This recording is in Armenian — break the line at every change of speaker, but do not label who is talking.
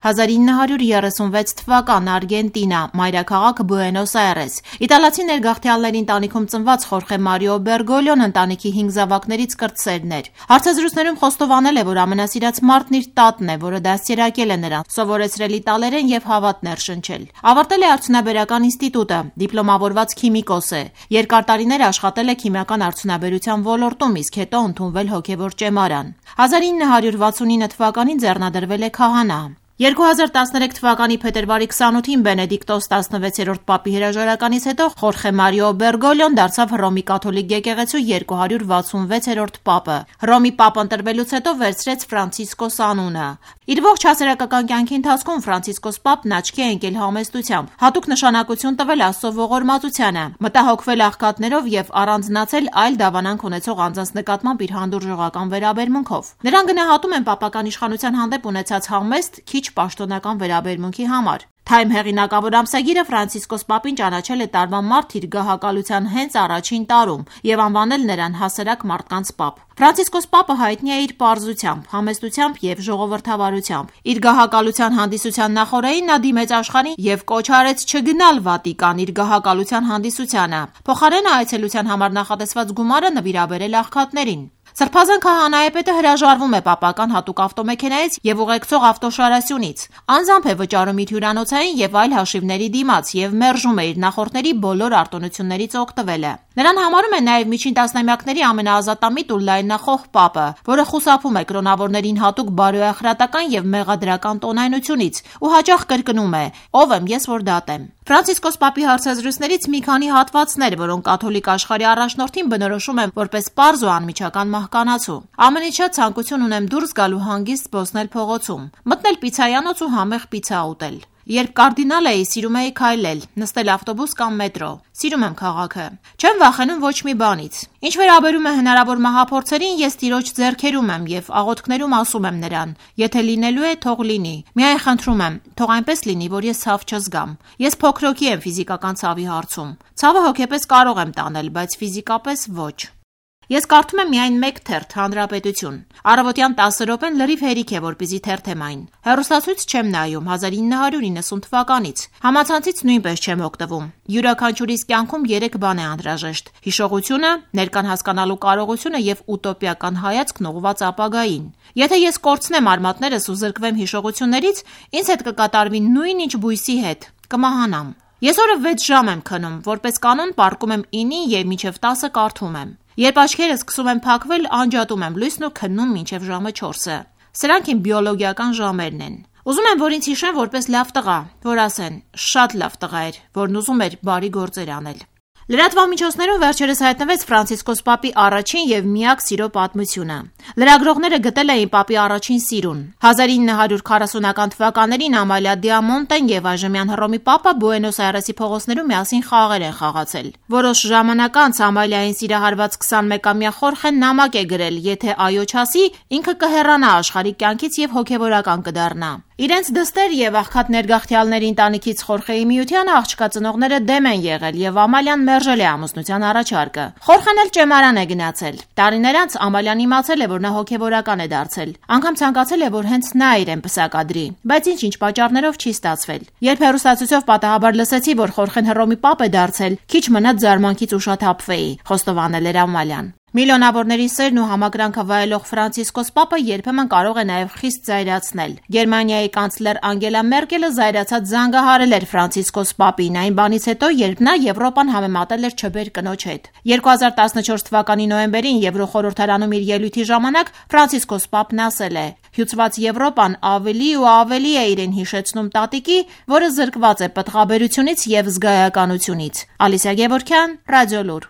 1936 թվական, Արգենտինա, մայրաքաղաք Բուենոս Այրես։ Իտալացի ներգաղթյալների ընտանիքում ծնված Խորխե Մարիո Բերգոլիոն ընտանիքի 5 զավակներից կրտսերն էր։ Հարցազրույցներում խոստովանել է, որ ամենասիրած մարդն իր տատն է, որը դաստիարակել է նրան, սովորեցրել իտալերեն եւ հավատ ներշնչել։ Ավարտել է արդյունաբերական ինստիտուտը, դիպլոմավորված քիմիկոս է։ Երկար տարիներ աշխատել է քիմիական արդյունաբերության ոլորտում, իսկ հետո ընդունվել հոգևոր ճեմարան։ 1969 թվականին ձեռնադրվել է քահանա։ 2013 թվականի փետրվարի 28-ին Բենեդիկտոս 16-րդ պապի հրաժարականից հետո Խորխե Մարիո Բերգոլիոն դարձավ Հռոմի կաթոլիկ եկեղեցու 266-րդ պապը։ Հռոմի պապ ընտրվելուց հետո վերցրեց Ֆրանցիսկոս անունը։ Իր ողջ հասարակական կյանքի ընթացքում Ֆրանցիսկոս պապն աչքի է ընկել համեստությամբ, հատուկ նշանակություն տվել Աստծո ողորմածությանը, մտահոգվել աղքատներով եւ առանձնացել այլ դավանանք ունեցող անձանց նկատմամբ իր հանդուրժողական վերաբերմունքով։ Նրան գնահատում են պապական իշխանության հանդեպ ունեցած համեստ, քիչ պաշտոնական վերաբերմունքի համար։ Time հեղինակավոր ամսագիրը Ֆրանցիսկոս պապին ճանաչել է տարվա մարտ իր գահակալության հենց առաջին տարում եւ անվանել նրան հասարակ մարդկանց պապ։ Ֆրանցիսկոս պապը հայտնի է իր պարզությամբ, համեստությամբ եւ ժողովրդավարությամբ։ Իր գահակալության հանդիսության նախօրեին նա դիմեց աշխարհին եւ կոչ արեց չգնալ Վատիկան իր գահակալության հանդիսությանը։ Փոխարենը այցելության համար նախատեսված գումարը նվիրաբերել աղքատներին։ Սրբազան քահանայապետը հրաժարվում է պապական հատուկ ավտոմեքենայից եւ ուղեկցող ավտոշարասյունից։ Անձամբ է վճարում իր հյուրանոցային եւ այլ հաշիվների դիմաց եւ մերժում է իր նախորդների բոլոր արտոնություններից օգտվելը։ Նրան համարում է նաեւ միջին տասնամյակների ամենաազատամիտ ու լայնախոհ պապը, որը խուսափում է կրոնավորներին հատուկ բարոյախրատական եւ մեղադրական տոնայնությունից ու հաճախ կրկնում է. «Ով եմ ես, որ դատեմ»։ Ֆրանցիսկոս պապի հարցազրույցներից մի քանի հատվածներ, որոնք կաթոլիկ աշխարհի առաջնորդին բնորոշում են որպես պարզ ու անմիջական մահկանացու։ Ամենից շատ ցանկություն ունեմ դուրս գալ ու հանգիստ զբոսնել փողոցում, մտնել պիցցայանոց ու համեղ պիցցա ուտել։ Երբ կարդինալ էի, սիրում էի քայլել, նստել ավտոբուս կամ մետրո։ Սիրում եմ քաղաքը։ Չեմ վախենում ոչ մի բանից։ Ինչ վերաբերում է հնարավոր մահափորձերին, ես Տիրոջ ձեռքերում եմ եւ աղոթքներում ասում եմ նրան. եթե լինելու է, թող լինի։ Միայն խնդրում եմ, թող այնպես լինի, որ ես ցավ չզգամ։ Ես փոքրոքի եմ ֆիզիկական ցավի հարցում։ Ցավը հոգեպես կարող եմ տանել, բայց ֆիզիկապես ոչ։ Ես կարդում եմ միայն մեկ թերթ, Հանրապետություն։ Առավոտյան 10 րոպեն լրիվ հերիք է, որպեսզի թերթեմ այն։ Հեռուստացույց չեմ նայում 1990 թվականից։ Համացանցից նույնպես չեմ օգտվում։ Յուրաքանչյուրիս կյանքում 3 բան է անհրաժեշտ՝ հիշողությունը, ներկան հասկանալու կարողությունը եւ ուտոպիական հայացքն ուղղված ապագային։ Եթե ես կորցնեմ արմատներս ու զրկվեմ հիշողություններից, ինձ հետ կկատարվի նույն ինչ բույսի հետ՝ կմահանամ։ Ես օրը 6 ժամ եմ քնում, որպես կանոն պառկում եմ 9-ին եւ մինչեւ 10-ը կարդում եմ։ Երբ աչքերս սկսում են փակվել, անջատում եմ լույսն ու քննում մինչև ժամը 4-ը։ Սրանք իմ բիոլոգիական ժամերն են։ Ուզում եմ, որ ինձ հիշեն որպես լավ տղա, որ ասեն՝ շատ լավ տղա էր, որն ուզում էր բարի գործեր անել։ Լրատվամիջոցներում վերջերս հայտնվեց Ֆրանցիսկոս պապի առաջին եւ միակ սիրո պատմությունը։ Լրագրողները գտել էին պապի առաջին սիրուն։ 1940-ական թվականներին Ամալիա Դիամոնտեն եւ այժմյան Հռոմի պապը Բուենոս Այրեսի փողոցներում միասին խաղեր են խաղացել։ Որոշ ժամանակ անց Ամալիային սիրահարված 21-ամյա Խորխեն նամակ է գրել, եթե այո չասի, ինքը կհեռանա աշխարհի կյանքից եւ հոգեվորական կդառնա։ Իրենց դստեր եւ աղքատ ներգաղթյալների ընտանիքից Խորխեի միությանը աղջկա ծնողները դեմ են եղել եւ Ամալիան մերժել է ամուսնության առաջարկը։ Խորխեն էլ ճեմարան է գնացել։ Տարիներ անց Ամալիան իմացել է, որ նա հոգեվորական է դարձել։ Անգամ ցանկացել է, որ հենց նա իրեն պսակադրի, բայց ինչ պատճառներով չի ստացվել։ Երբ հեռուստացույցով պատահաբար լսեցի, որ Խորխեն Հռոմի պապ է դարձել, քիչ մնաց զարմանքից ուշաթափվեի, խոստովանել էր Ամալիան։ Միլիոնավորների սերն ու համակրանքը վայելող Ֆրանցիսկոս պապը երբեմն կարող է նաև խիստ զայրացնել։ Գերմանիայի կանցլեր Անգելա Մերկելը զայրացած զանգահարել էր Ֆրանցիսկոս պապին այն բանից հետո, երբ նա Եվրոպան համեմատել էր չբեր կնոջ հետ։ 2014 թվականի նոյեմբերին Եվրոխորհրդարանում իր ելույթի ժամանակ Ֆրանցիսկոս պապն ասել է. «Հյուծված Եվրոպան ավելի ու ավելի է իրեն հիշեցնում տատիկի, որը զրկված է պտղաբերությունից եւ զգայականությունից»։ Ալիսիա Գևորգյան, Ռադիոլուր։